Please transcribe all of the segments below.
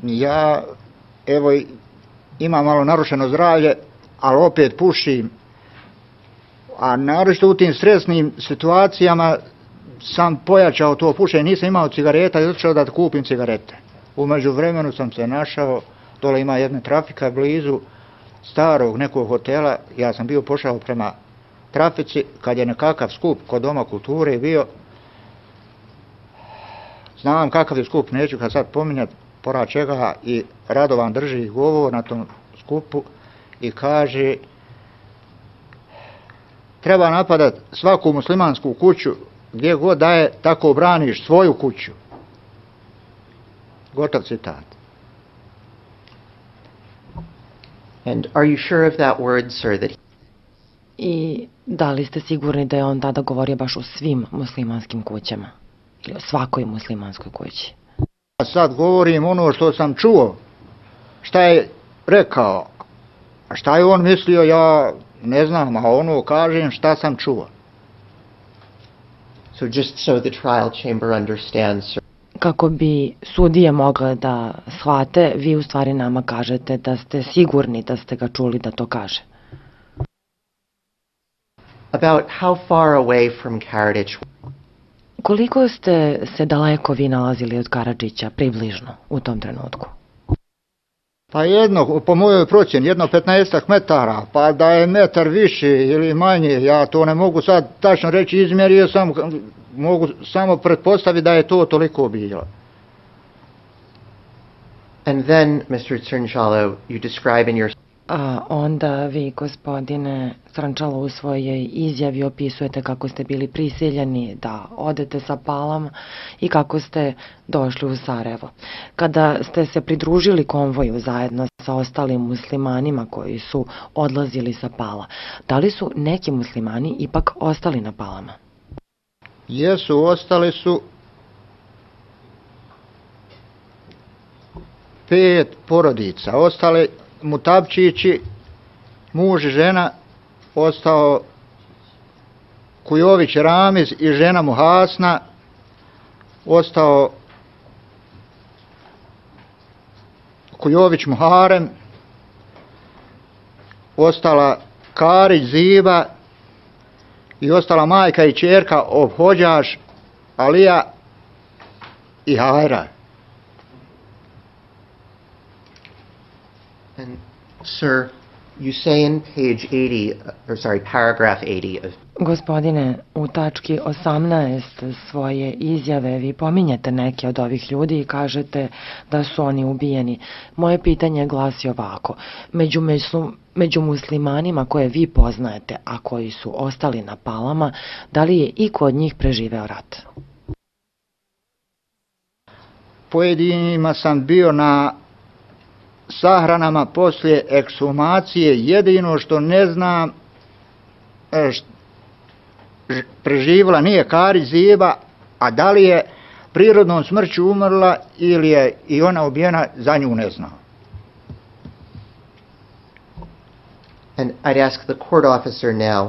Ja, evo, imam malo narušeno zdravlje, ali opet pušim. A naročito u tim stresnim situacijama sam pojačao to pušenje, nisam imao cigareta i otišao da kupim cigarete. U međuvremenu sam se našao, dole ima jedna trafika blizu starog nekog hotela, ja sam bio pošao prema trafici, kad je nekakav skup kod Doma kulture bio, znam kakav je skup, neću ga sad pominjati, pora čega, i Radovan drži govor na tom skupu i kaže: treba napadat svaku muslimansku kuću, gdje god da je, tako braniš svoju kuću. Gotov citat. And are you sure of that word, sir, that I da li ste sigurni da je on tada govorio baš o svim muslimanskim kućama? Ili o svakoj muslimanskoj kući? Sad govorim ono što sam čuo, šta je rekao, a šta je on mislio, ja ne znam, a ono kažem šta sam čuo. So just so the trial chamber understands, sir. Kako bi sudije mogle da shvate, vi u stvari nama kažete da ste sigurni da ste ga čuli da to kaže. About how far away from Karadzic? Koliko ste se daleko vi nalazili od Karadžića, približno, u tom trenutku? Pa jedno, po mojoj procjeni, jedno 15 metara, pa da je metar više ili manje, ja to ne mogu sad tačno reći, izmjerio sam, mogu samo pretpostaviti da je to toliko bilo. And then, Mr. Crnčalo, you describe in your... A onda vi, gospodine Crnčalo, u svojoj izjavi opisujete kako ste bili prisiljeni da odete sa Palama i kako ste došli u Sarajevo. Kada ste se pridružili konvoju zajedno sa ostalim muslimanima koji su odlazili sa Pala, da li su neki muslimani ipak ostali na Palama? Jesu, ostali su 5 porodica, ostali Mutapčići, muž i žena, ostao Kujović Ramiz i žena Muhasna, ostao Kujović Muharem, ostala Karić Ziba i ostala majka i ćerka Obhođaš, Alija i Hajra. And, sir, you say in page 80, paragraph 80 of... Gospodine, u tački 18 svoje izjave vi pominjete neke od ovih ljudi i kažete da su oni ubijeni. Moje pitanje glasi ovako: među muslimanima koje vi poznajete, a koji su ostali na Palama, da li je iko od njih preživeo rat? Pojedinima sam bio na sahranama poslije ekshumacije, jedino što ne znam, preživjela nije Karić Ziba, a da li je prirodnom smrću umrla ili je i ona ubijena, za nju ne znam. And I'd ask the court officer now.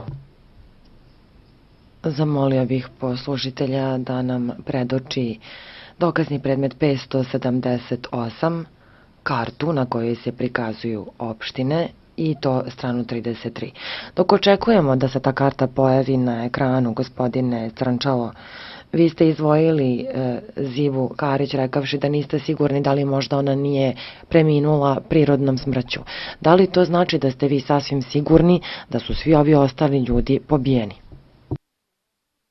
Zamolio bih poslužitelja da nam predoči dokazni predmet 578, kartu na kojoj se prikazuju opštine, i to stranu 33. Dok očekujemo da se ta karta pojavi na ekranu, gospodine Crnčalo, vi ste izdvojili Zivu Karić rekavši da niste sigurni da li možda ona nije preminula prirodnom smrću. Da li to znači da ste vi sasvim sigurni da su svi ovi ostali ljudi pobijeni?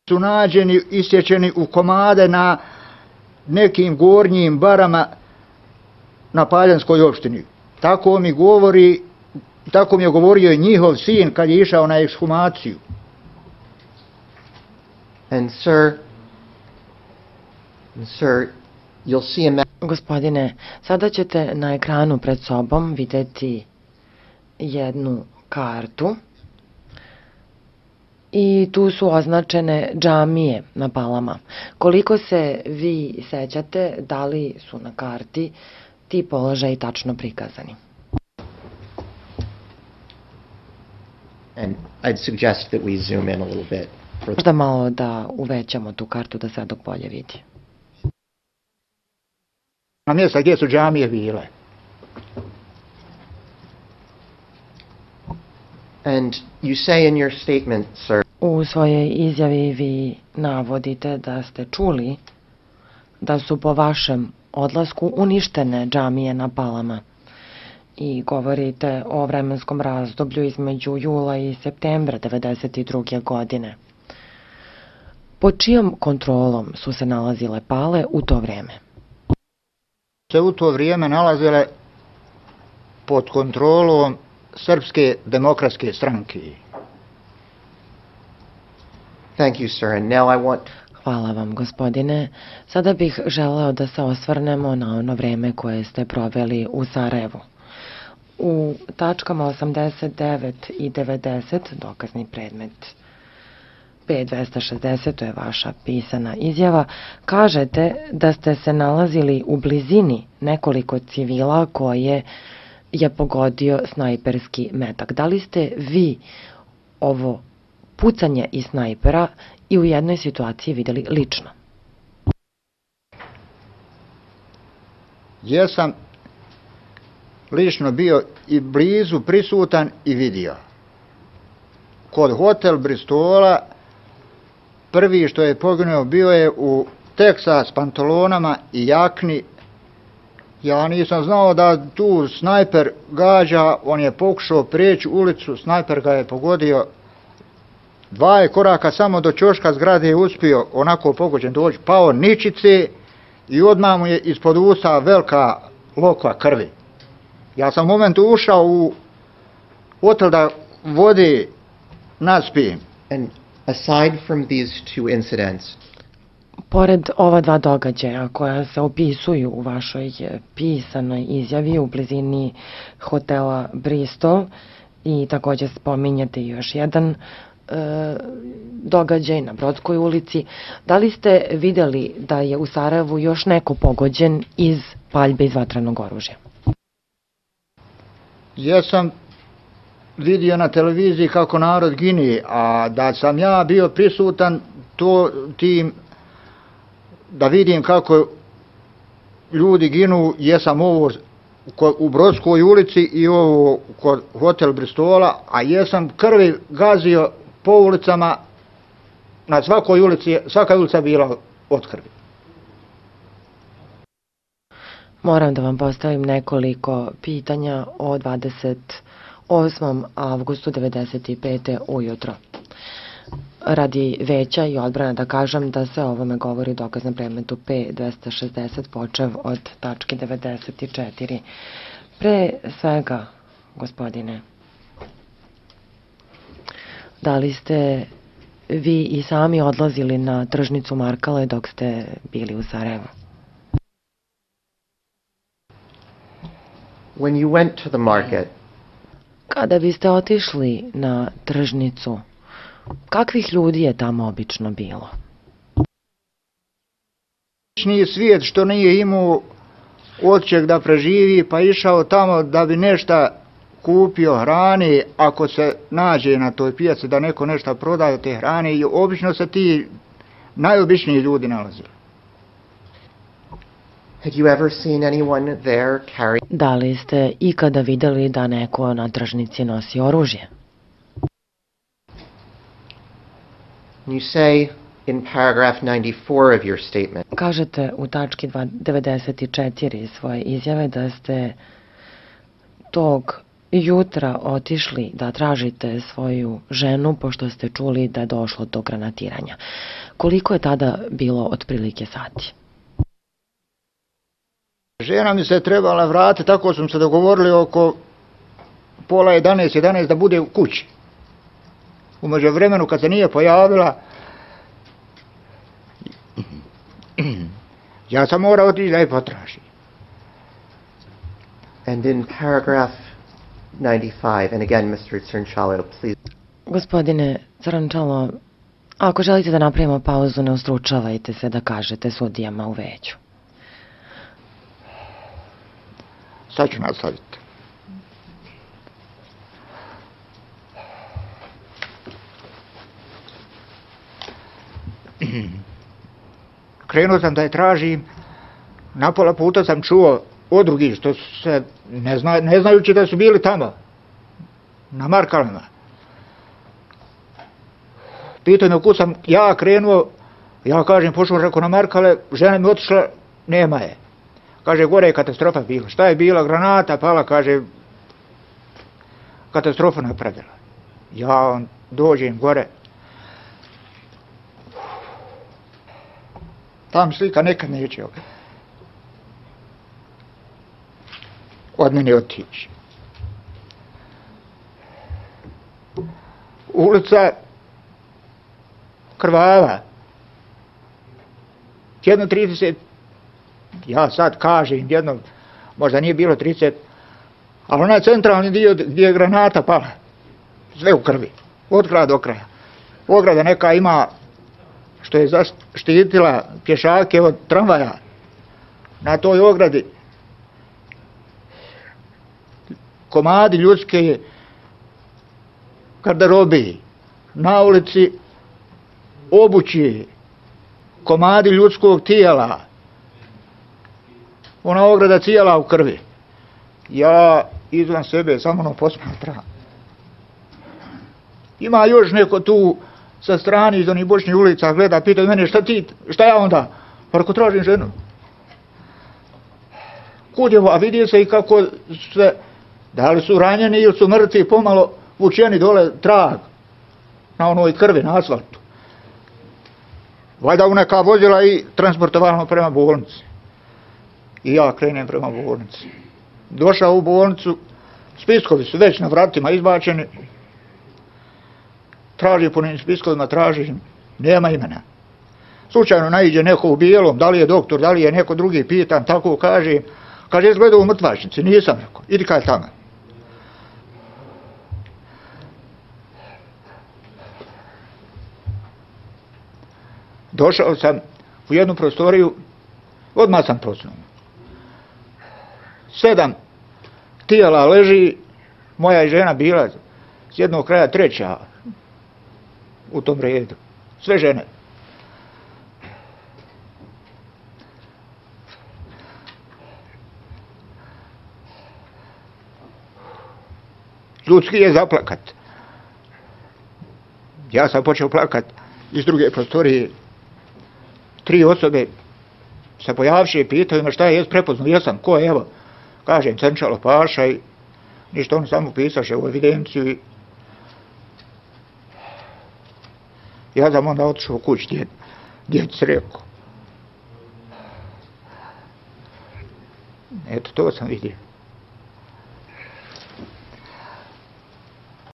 Su nađeni, isječeni u komade na nekim gornjim barama na Paljanskoj opštini. Tako mi je govorio i njihov sin kad je išao na ekshumaciju. And sir, you'll see a map. Gospodine, sada ćete na ekranu pred sobom vidjeti jednu kartu i tu su označene džamije na Palama. Koliko se vi sećate, da li su na karti ti položaji tačno prikazani? And I'd suggest that we zoom in a little bit. Možda malo da uvećamo tu kartu da se dok bolje vidi. na mjesta gdje su džamije bile. And you say in your statement, sir, U svojoj izjavi vi navodite da ste čuli da su po vašem odlasku uništene džamije na Palama i govorite o vremenskom razdoblju između jula i septembra 1992. godine. Pod čijom kontrolom su se nalazile Pale u to vrijeme? Se u to vrijeme nalazile pod kontrolom Srpske demokratske stranke. thank you, sir. And now I want Hvala vam, gospodine. Sada bih želeo da se osvrnemo na ono vreme koje ste proveli u Sarajevu. U tačkama 89 i 90, dokazni predmet P260, to je vaša pisana izjava, kažete da ste se nalazili u blizini nekoliko civila koje je pogodio snajperski metak. Da li ste vi ovo pucanje iz snajpera i u jednoj situaciji vidjeli lično? Jesam lično bio i blizu prisutan i vidio. Kod hotel Bristola prvi što je poginuo bio je u Texas pantalonama i jakni. Ja nisam znao da tu snajper gađa, on je pokušao prijeći ulicu, snajper ga je pogodio. 2 koraka samo do ćoška zgrade je uspio onako pogođen doći, pao ničice i odmah mu je ispod usta velika lokva krvi. Ja sam u momentu ušao u hotel da vode naspijem. and aside from these two incidents, Pored ova dva događaja koja se opisuju u vašoj pisanoj izjavi u blizini hotela Bristol i također spominjete još jedan događaj na Brodskoj ulici, da li ste vidjeli da je u Sarajevu još neko pogođen iz paljbe iz vatrenog oružja? Jesam vidio na televiziji kako narod gine, a da sam ja bio prisutan tim da vidim kako ljudi ginu, jesam ovo u Brodskoj ulici i ovo kod hotel Bristola, a jesam krvi gazio po ulicama, na svakoj ulici, svaka ulica bila od krvi. Moram da vam postavim nekoliko pitanja o 28. avgustu 1995. ujutro. Radi veća i odbrana da kažem da se o ovome govori u dokaznom predmetu P260 počev od tačke 94. Pre svega, gospodine, da li ste vi i sami odlazili na tržnicu Markale dok ste bili u Sarajevu? when you went to the market, Kada biste otišli na tržnicu, kakvih ljudi je tamo obično bilo? Obični svijet što nije imao odčeg da preživi, pa išao tamo da bi nešto kupio hrane, ako se nađe na toj pijaci da neko nešto prodaje te hrane, i obično se ti najobičniji ljudi nalazili. had you ever seen anyone there carry? Da li ste ikada vidjeli da neko na tržnici nosi oružje? You say in paragraph 94 of your statement, Kažete u tački 94 svoje izjave da ste tog jutra otišli da tražite svoju ženu pošto ste čuli da je došlo do granatiranja. Koliko je tada bilo otprilike sati? Žena mi se trebala vratiti, tako smo se dogovorili oko pola 11 da bude u kući. U međuvremenu kad se nije pojavila, ja sam morao otići da je potražim. and in paragraph 95, and again, Mr. Crnčalo, please, Gospodine Crnčalo, ako želite da napravimo pauzu, ne ustručavajte se da kažete sudijama u veću. Sad ću nastaviti. Krenuo sam da je tražim, Na pola puta sam čuo od drugih što su se, ne znajući da su bili tamo, na Markalama. Pitaju me kud sam ja krenuo, ja kažem, pošao reko na Markale, žena mi otišla, nema je. Kaže, gore je katastrofa bila. Šta je bila? Granata pala, kaže, katastrofa napravila. Ja dođem gore. Tam slika nekad neće od mene otići. Ulica krvava. 1:30, ja sad kažem jedno, možda nije bilo 30, ali onaj centralni dio gdje je granata pala, sve u krvi, od kraja do kraja. Ograda neka ima što je zaštitila pješake od tramvaja. Na toj ogradi komadi ljudske garderobe, na ulici obući, komadi ljudskog tijela, ona ograda cijela u krvi. Ja izvan sebe samo ono posmatram. Ima još neko tu sa strane iz onih bočnih ulica gleda, pitaju mene šta ja onda? Pa reko, tražim ženu. Kud je, a vidi se i kako se, da li su ranjeni ili su mrtvi, pomalo vučeni dole trag na onoj krvi, na asfaltu. Valjda u neka vozila i transportovalno prema bolnici. I ja krenem prema bolnici. Došao u bolnicu, spiskovi su već na vratima izbačeni. Traži po njim spiskovima, traži, nema imena. Slučajno naiđe neko u bijelom, da li je doktor, da li je neko drugi, pitan, tako kaže. Kaže, jesi gledao u mrtvačnici? Nisam, rekao, idi kaj tamo. Došao sam u jednu prostoriju, odmah sam procnuo. 7 tijela leži, moja je žena bila s jednog kraja treća u tom redu. Sve žene. Ljudski je zaplakat. Ja sam počeo plakat iz druge prostorije. 3 osobe se pojavše i pitaju me šta je, prepoznao, jesam, ko je, evo, kažem, Cenčalo Paša i ništa, oni samo pisaše u evidenciju i ja sam onda otišao kući, djeci rekao. Eto, to sam vidio.